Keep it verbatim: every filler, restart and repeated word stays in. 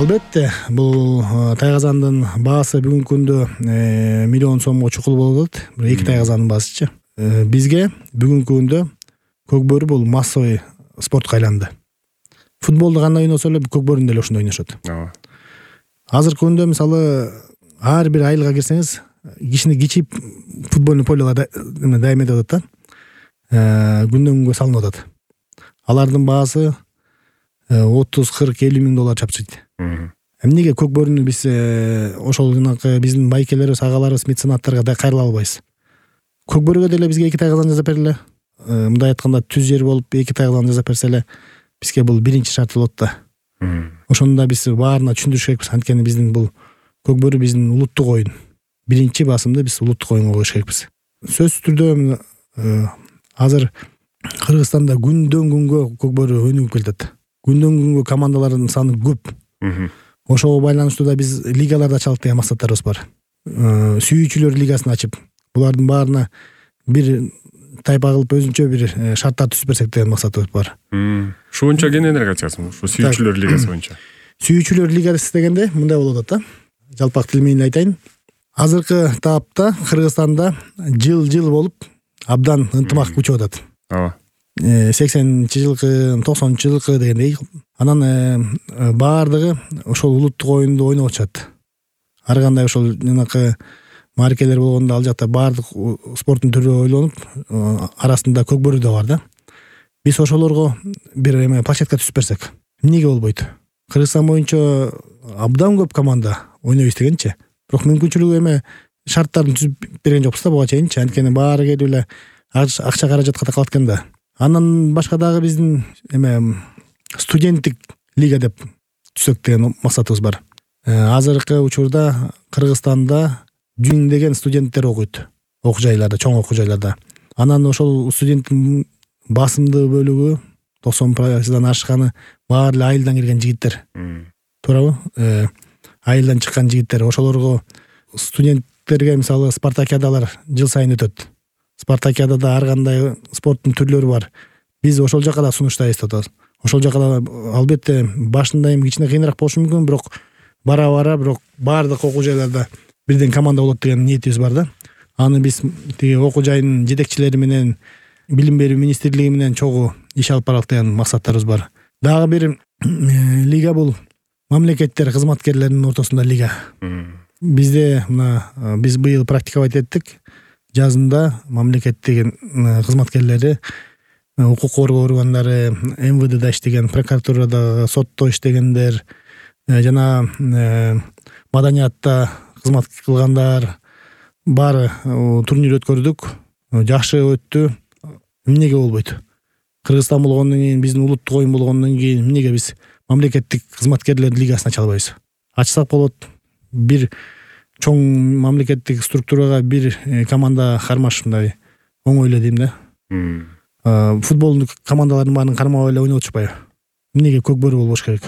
Албетте, бул тайгазандын баасы бүгүнкү күндө миллион сомго чукул болуп атат. Бир эки тайгазандын баасычы. Бизге бүгүнкү күндө көкбөрү бул массовый спортко айланды. Футболду кандай ойносо эле көкбөрүндө эле ошондой ойношот. Ооба. Азыркы күндө мисалы ар бир айылга кирсеңиз, кичине кичип футбольный полелер дайым этип атат да. Күндөн күнгө салынып атат. Алардын баасы отуз, кырк, элүү миң доллар чапчыйт. Эмнеге көкбөрүнү биз ошол жанакы биздин байкелерибиз, агаларыбыз, меценаттарга да кайрыла албайбыз? Көкбөрүгө деле бизге эки тайгазан жасап бергиле. Мындай айтканда түз жер болуп эки тайгазан жасап берсе эле бизге бул биринчи шарт болот да. Ошону да биз баарына түшүндүрүш керекпиз. Анткени биздин бул көкбөрү биздин улуттук оюн. Биринчи басымды биз улуттук оюнга коюш керекпиз. Сөзсүз түрдө азыр Кыргызстанда күндөн күнгө көкбөрү өнүгүп келатат. Күндөн күнгө командалардын саны көп. Ошого байланыштуу да биз лигаларда чалык деген максаттарыбыз бар. Сүйүүчүлөр лигасын ачып, булардын баарына бир тайпа кылып өзүнчө бир шарттар түзүп берсек деген максатыбыз бар. Ушу боюнча кененирээк айтасызбы? Ушу сүйүүчүлөр лигасы боюнча. Сүйүүчүлөр лигасы дегенде мындай болуп атат да. Жалпак тил менен айтайын. Азыркы таапта Кыргызстанда жыл-жыл болуп абдан ынтымак күчүп атат. Ооба. сексенинчи жылкы, токсонунчу жылкы дегендей. Анан баардыгы ошол улуттук оюнду ойноп атышат. Ар кандай ошол жанакы маркелер болгондо ал жакта баардык спорттун түрү ойлонуп, арасында көкбөрү да бар да. Биз ошолорго бир эме площадка түзүп берсек, эмнеге болбойт? Кыргызстан боюнча абдан көп команда ойнойбуз дегенчи. Бирок мүмкүнчүлүгү эме шарттарын түзүп берген жокпуз да буга чейинчи. Анткени баары келип эле акча каражатка такалат экен да. Андан башка дагы биздин эме студенттик лига деп түзсөк деген максатыбыз бар. Азыркы учурда Кыргызстанда жүздөгөн студенттер окуйт. Окуу жайларда, чоң окуу жайларда. Анан ошол студенттин басымдуу бөлүгү токсон пайыздан ашканы баары эле айылдан келген жигиттер. Туурабы? Айылдан чыккан жигиттер. Ошолорго студенттерге мисалы спартакиадалар жыл сайын өтөт. Спартакиадада ар кандай спорттун түрлөрү бар. Биз ошол жака да сунуштайбыз деп атабыз. Ошол жака да албетте башында эми кичине кыйыныраак болушу мүмкүн, бирок бара-бара бирок баардык окуу жайларда бирден команда болот деген ниетибиз бар да. Аны биз тиги окуу жайынын жетекчилери менен, билим берүү министрлиги менен чогуу иш алып баралык деген максаттарыбыз бар. Дагы бир лига бул мамлекеттер кызматкерлеринин ортосунда лига. Бизде мына биз быйыл практиковать эттик. Жазында мамлекеттик кызматкерлери, укук коргоо органдары, эм вэ дэда иштеген, прокуратурада, сотто иштегендер, жана маданиятта кызмат кылгандар баары турнир өткөрдүк. Жакшы өттү. Эмнеге болбойт? Кыргызстан болгондон кийин, биздин улуттук оюн болгондон кийин эмнеге биз мамлекеттик кызматкерлердин лигасын ача албайбыз? Ачсак болот. Бир чоң мамлекеттик структурага бир команда кармаш мындай оңой эле дейм да. Футболдук командалардын баарын кармап эле ойноп атышпайбы? Эмнеге көкбөрү болбош керек?